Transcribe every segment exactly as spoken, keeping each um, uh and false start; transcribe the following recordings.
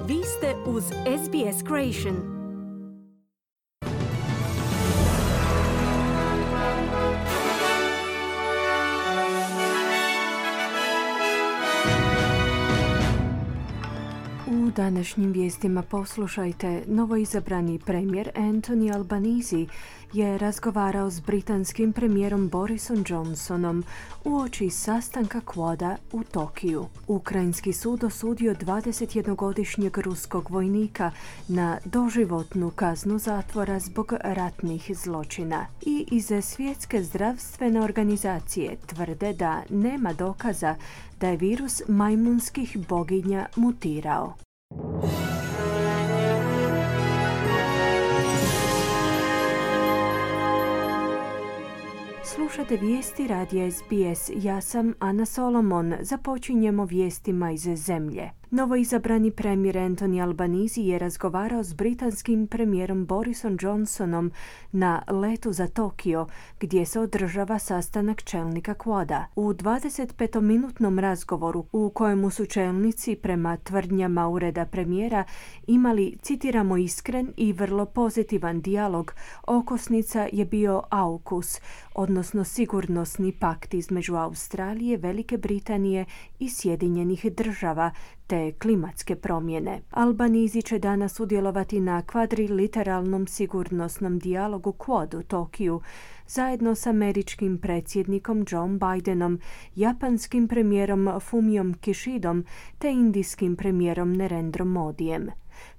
Vi ste uz S B S Creation. U današnjim vijestima poslušajte, novoizabrani premijer Anthony Albanese je razgovarao s britanskim premijerom Borisom Johnsonom uoči sastanka Quada u Tokiju. Ukrajinski sud osudio dvadesetjednogodišnjeg ruskog vojnika na doživotnu kaznu zatvora zbog ratnih zločina. I iz Svjetske zdravstvene organizacije tvrde da nema dokaza da je virus majmunskih boginja mutirao. Slušate vijesti radija S B S. Ja sam Ana Solomon. Započinjemo vijestima iz zemlje. Novoizabrani premijer Anthony Albanese je razgovarao s britanskim premijerom Borisom Johnsonom na letu za Tokio, gdje se održava sastanak čelnika Quada. U dvadesetpetominutnom razgovoru, u kojemu su čelnici prema tvrdnjama ureda premijera imali, citiramo, iskren i vrlo pozitivan dijalog, okosnica je bio AUKUS, odnosno sigurnosni pakt između Australije, Velike Britanije i Sjedinjenih država, te klimatske promjene. Albanese će danas sudjelovati na kvadriliteralnom sigurnosnom dijalogu Quad u Tokiju, zajedno s američkim predsjednikom Joe Bidenom, japanskim premijerom Fumiom Kishidom te indijskim premijerom Narendrom Modijem.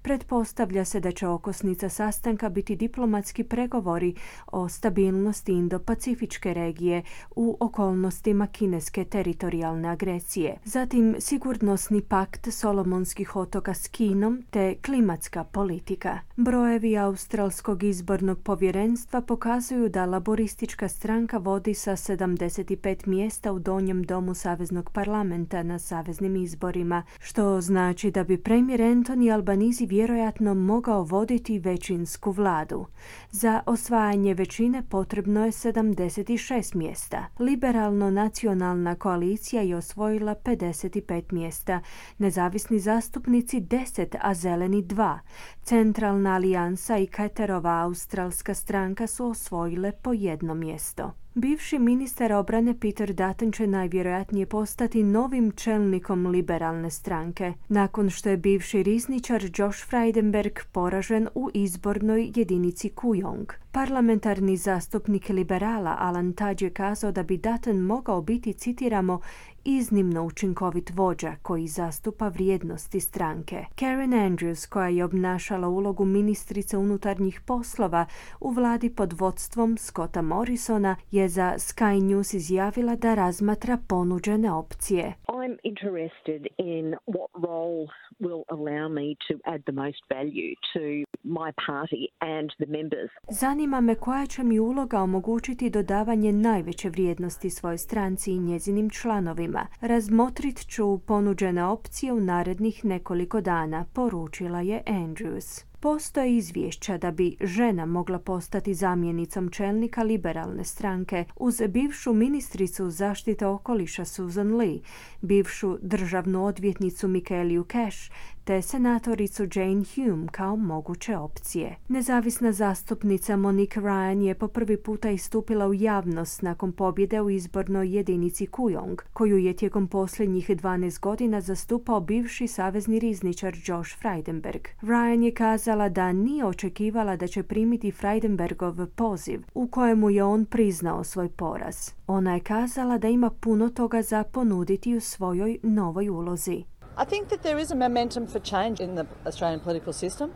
Pretpostavlja se da će okosnica sastanka biti diplomatski pregovori o stabilnosti Indo-Pacifičke regije u okolnostima kineske teritorijalne agresije. Zatim sigurnosni pakt Solomonskih otoka s Kinom te klimatska politika. Brojevi Australskog izbornog povjerenstva pokazuju da laboristička stranka vodi sa sedamdeset pet mjesta u donjem domu Saveznog parlamenta na saveznim izborima, što znači da bi premijer Anthony Albanese vjerojatno mogao voditi većinsku vladu. Za osvajanje većine potrebno je sedamdeset šest mjesta. Liberalno-nacionalna koalicija je osvojila pedeset pet mjesta, nezavisni zastupnici deset, a zeleni dva. Centralna alijansa i Carterova australska stranka su osvojile po jedno mjesto. Bivši ministar obrane Peter Dutton će najvjerojatnije postati novim čelnikom liberalne stranke, nakon što je bivši rizničar Josh Frydenberg poražen u izbornoj jedinici Kooyong. Parlamentarni zastupnik liberala Alan Tudge je kazao da bi Dutton mogao biti, citiramo, iznimno učinkovit vođa koji zastupa vrijednosti stranke. Karen Andrews, koja je obnašala ulogu ministrice unutarnjih poslova u vladi pod vodstvom Scotta Morrisona, je za Sky News izjavila da razmatra ponuđene opcije. I'm interested in what role will allow me to add the most value to my party and the members. Zanima me koja će mi uloga omogućiti dodavanje najveće vrijednosti svojoj stranci i njezinim članovima. Razmotrit ću ponuđene opcije u narednih nekoliko dana, poručila je Andrews. Postoje izvješća da bi žena mogla postati zamjenicom čelnika liberalne stranke uz bivšu ministricu zaštite okoliša Susan Lee, bivšu državnu odvjetnicu Michaelu Cash te senatoricu Jane Hume kao moguće opcije. Nezavisna zastupnica Monique Ryan je po prvi puta istupila u javnost nakon pobjede u izbornoj jedinici Kooyong, koju je tijekom posljednjih dvanaest godina zastupao bivši savezni rizničar Josh Frydenberg. Ryan je kazala da nije očekivala da će primiti Frydenbergov poziv, u kojemu je on priznao svoj poraz. Ona je kazala da ima puno toga za ponuditi u svojoj novoj ulozi. I think that there is a momentum for change in the Australian political system.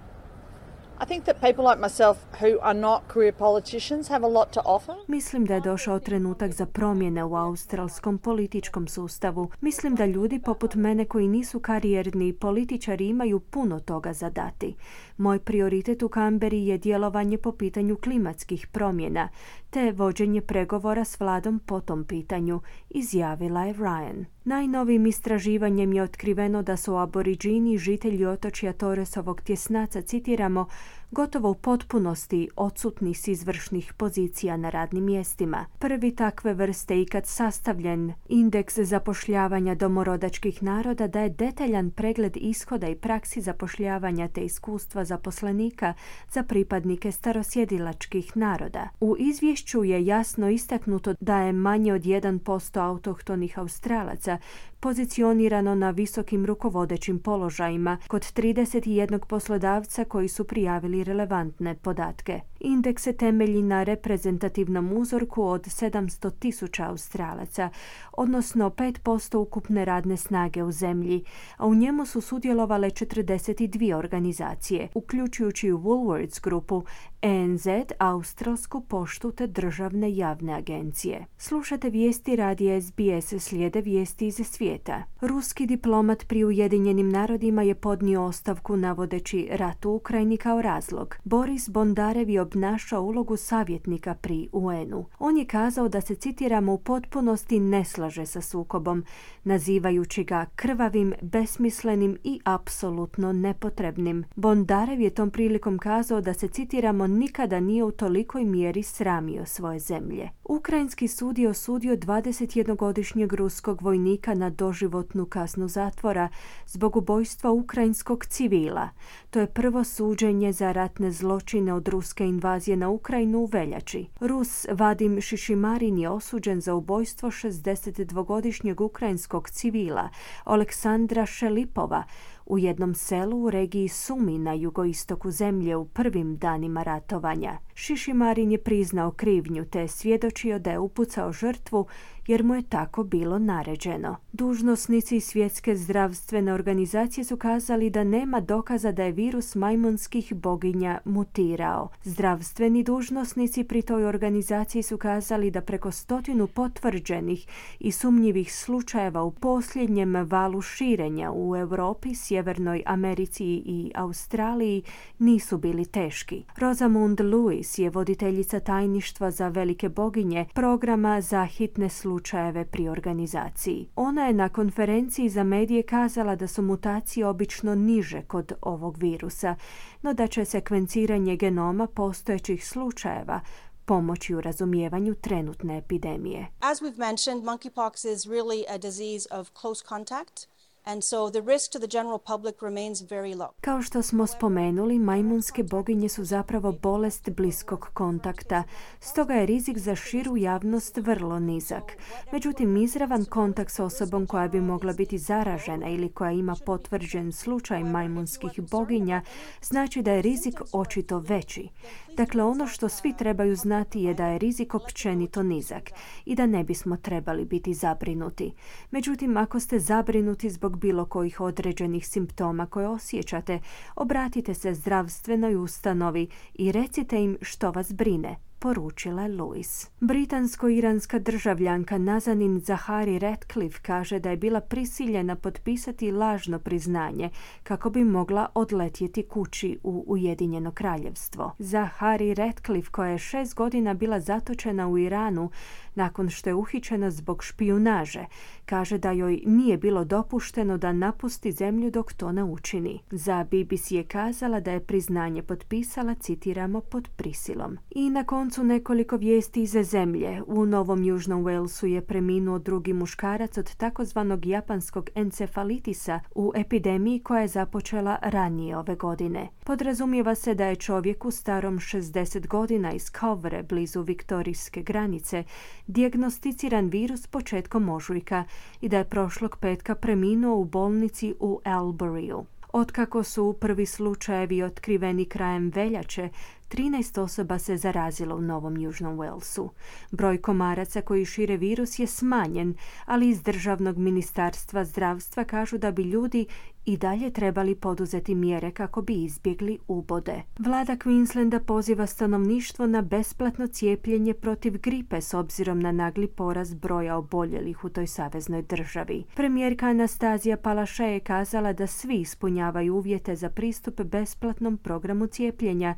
I think that people like myself who are not career politicians have a lot to offer. Mislim da je došao trenutak za promjene u australskom političkom sustavu. Mislim da ljudi poput mene koji nisu karijerni političari imaju puno toga za dati. Moj prioritet u Kamberi je djelovanje po pitanju klimatskih promjena, te te vođenje pregovora s vladom po tom pitanju, izjavila je Ryan. Najnovijim istraživanjem je otkriveno da su aboriđini, žitelji otočja Torresovog tjesnaca, citiramo, gotovo u potpunosti odsutni s izvršnih pozicija na radnim mjestima. Prvi takve vrste ikad sastavljen indeks zapošljavanja domorodačkih naroda daje detaljan pregled ishoda i praksi zapošljavanja te iskustva zaposlenika za pripadnike starosjedilačkih naroda. U izvješću je jasno istaknuto da je manje od jedan posto autohtonih Australaca pozicionirano na visokim rukovodećim položajima kod trideset jedan poslodavca koji su prijavili relevantne podatke. Indeks se temelji na reprezentativnom uzorku od sedamsto tisuća Australaca, odnosno pet posto ukupne radne snage u zemlji, a u njemu su sudjelovale četrdeset dvije organizacije, uključujući u Woolworths grupu, A N Z, Australsku poštu te državne javne agencije. Slušate vijesti radija S B S, slijede vijesti iz svijeta. Ruski diplomat pri Ujedinjenim narodima je podnio ostavku navodeći rat u Ukrajini kao razlog. Boris Bondarev je obnašao ulogu savjetnika pri U N-u. On je kazao da se, citiramo, u potpunosti ne slaže sa sukobom, nazivajući ga krvavim, besmislenim i apsolutno nepotrebnim. Bondarev je tom prilikom kazao da se, citiramo, nikada nije u tolikoj mjeri sramio svoje zemlje. Ukrajinski sud je osudio dvadesetjednogodišnjeg ruskog vojnika na doživotnu kaznu zatvora zbog ubojstva ukrajinskog civila. To je prvo suđenje za ratne zločine od ruske invazije na Ukrajinu u veljači. Rus Vadim Šišimarin je osuđen za ubojstvo šezdesetdvogodišnjeg ukrajinskog civila Oleksandra Šelipova u jednom selu u regiji Sumi na jugoistoku zemlje u prvim danima ratovanja. Šišimarin je priznao krivnju te je svjedočio da je upucao žrtvu jer mu je tako bilo naređeno. Dužnosnici Svjetske zdravstvene organizacije su kazali da nema dokaza da je virus majmunskih boginja mutirao. Zdravstveni dužnosnici pri toj organizaciji su kazali da preko stotinu potvrđenih i sumnjivih slučajeva u posljednjem valu širenja u Europi, Sjevernoj Americi i Australiji nisu bili teški. Rosamund Lewis je voditeljica tajništva za velike boginje programa za hitne slučajeve pri organizaciji. Ona je na konferenciji za medije kazala da su mutacije obično niže kod ovog virusa, no da će sekvenciranje genoma postojećih slučajeva pomoći u razumijevanju trenutne epidemije. As we've mentioned, monkeypox is really a disease of close contact. And so the risk to the general public remains very low. Kao što smo spomenuli, majmunske boginje su zapravo bolest bliskog kontakta, stoga je rizik za širu javnost vrlo nizak. Međutim, izravan kontakt s osobom koja bi mogla biti zaražena ili koja ima potvrđen slučaj majmunskih boginja znači da je rizik očito veći. Dakle, ono što svi trebaju znati je da je rizik općenito nizak i da ne bismo trebali biti zabrinuti. Međutim, ako ste zabrinuti zbog bilo kojih određenih simptoma koje osjećate, obratite se zdravstvenoj ustanovi i recite im što vas brine, poručila je Lewis. Britansko-iranska državljanka Nazanin Zaghari Ratcliffe kaže da je bila prisiljena potpisati lažno priznanje kako bi mogla odletjeti kući u Ujedinjeno kraljevstvo. Zaghari Ratcliffe, koja je šest godina bila zatočena u Iranu nakon što je uhićena zbog špijunaže, kaže da joj nije bilo dopušteno da napusti zemlju dok to ne učini. Za B B C je kazala da je priznanje potpisala, citiramo, pod prisilom. I na koncu nekoliko vijesti iz zemlje. U Novom Južnom Walesu je preminuo drugi muškarac od takozvanog japanskog encefalitisa u epidemiji koja je započela ranije ove godine. Podrazumijeva se da je čovjeku starom šezdeset godina iz Covre, blizu viktorijske granice, dijagnosticiran virus početkom ožujka i da je prošlog petka preminuo u bolnici u Alburyu. Otkako su prvi slučajevi otkriveni krajem veljače, trinaest osoba se zarazilo u Novom Južnom Walesu. Broj komaraca koji šire virus je smanjen, ali iz Državnog ministarstva zdravstva kažu da bi ljudi i dalje trebali poduzeti mjere kako bi izbjegli ubode. Vlada Queenslanda poziva stanovništvo na besplatno cijepljenje protiv gripe s obzirom na nagli porast broja oboljelih u toj saveznoj državi. Premijerka Anastazija Palaszczuk je kazala da svi ispunjavaju uvjete za pristup besplatnom programu cijepljenja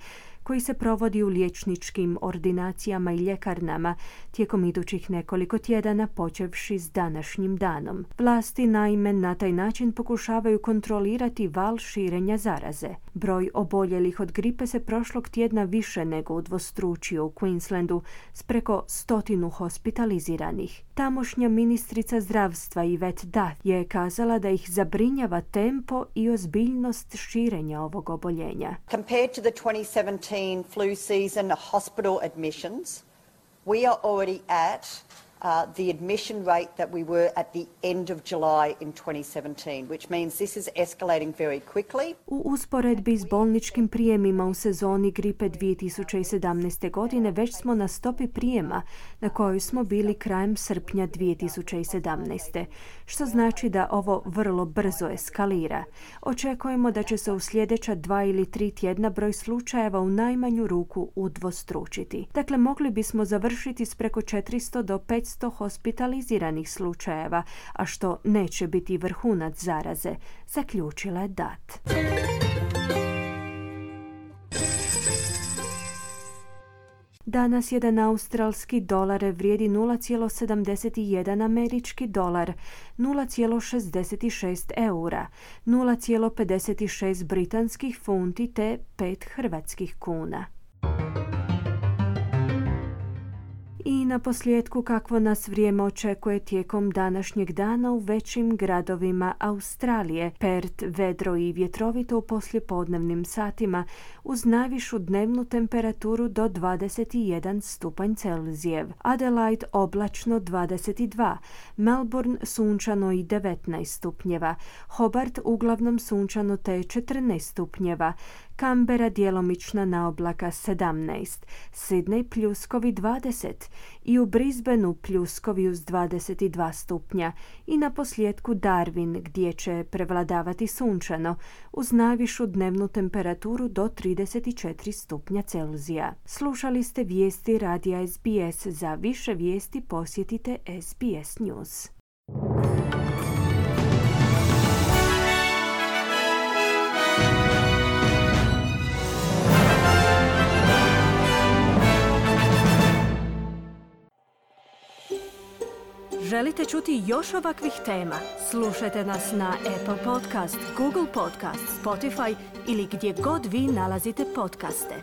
koji se provodi u liječničkim ordinacijama i ljekarnama tijekom idućih nekoliko tjedana počevši s današnjim danom. Vlasti naime na taj način pokušavaju kontrolirati val širenja zaraze. Broj oboljelih od gripe se prošlog tjedna više nego udvostručio u Queenslandu s preko stotinu hospitaliziranih. Tamošnja ministrica zdravstva Yvette Duff je kazala da ih zabrinjava tempo i ozbiljnost širenja ovog oboljenja. Compared to the twenty seventeen flu season hospital admissions, we are already at Uh, the admission rate that we were at the end of July in twenty seventeen, which means this is escalating very quickly. U usporedbi s bolničkim prijemima u sezoni gripe dvije tisuće sedamnaeste. godine već smo na stopi prijema na kojoj smo bili krajem srpnja dvije tisuće sedamnaeste. Što znači da ovo vrlo brzo eskalira. Očekujemo da će se u sljedeća dva ili tri tjedna broj slučajeva u najmanju ruku udvostručiti. Dakle, mogli bismo završiti s preko četiristo do petsto hospitaliziranih slučajeva, a što neće biti vrhunac zaraze, zaključila je Dutt. Danas jedan australski dolar vrijedi nula zarez sedamdeset jedan američki dolar, nula zarez šezdeset šest eura, nula zarez pedeset šest britanskih funti te pet hrvatskih kuna. I na posljedku kakvo nas vrijeme očekuje tijekom današnjeg dana u većim gradovima Australije. Perth vedro i vjetrovito u poslijepodnevnim satima uz najvišu dnevnu temperaturu do dvadeset jedan stupanj Celzijev. Adelaide oblačno dvadeset dva, Melbourne sunčano i devetnaest stupnjeva, Hobart uglavnom sunčano te četrnaest stupnjeva, Canberra djelomična na oblaka sedamnaest, Sydney pljuskovi dvadeset i u Brisbaneu pljuskovi uz dvadeset dva stupnja i na posljedku Darwin gdje će prevladavati sunčano uz najvišu dnevnu temperaturu do trideset četiri stupnja Celzija. Slušali ste vijesti radija S B S. Za više vijesti posjetite S B S News. Želite čuti još ovakvih tema? Slušajte nas na Apple Podcast, Google Podcast, Spotify ili gdje god vi nalazite podcaste.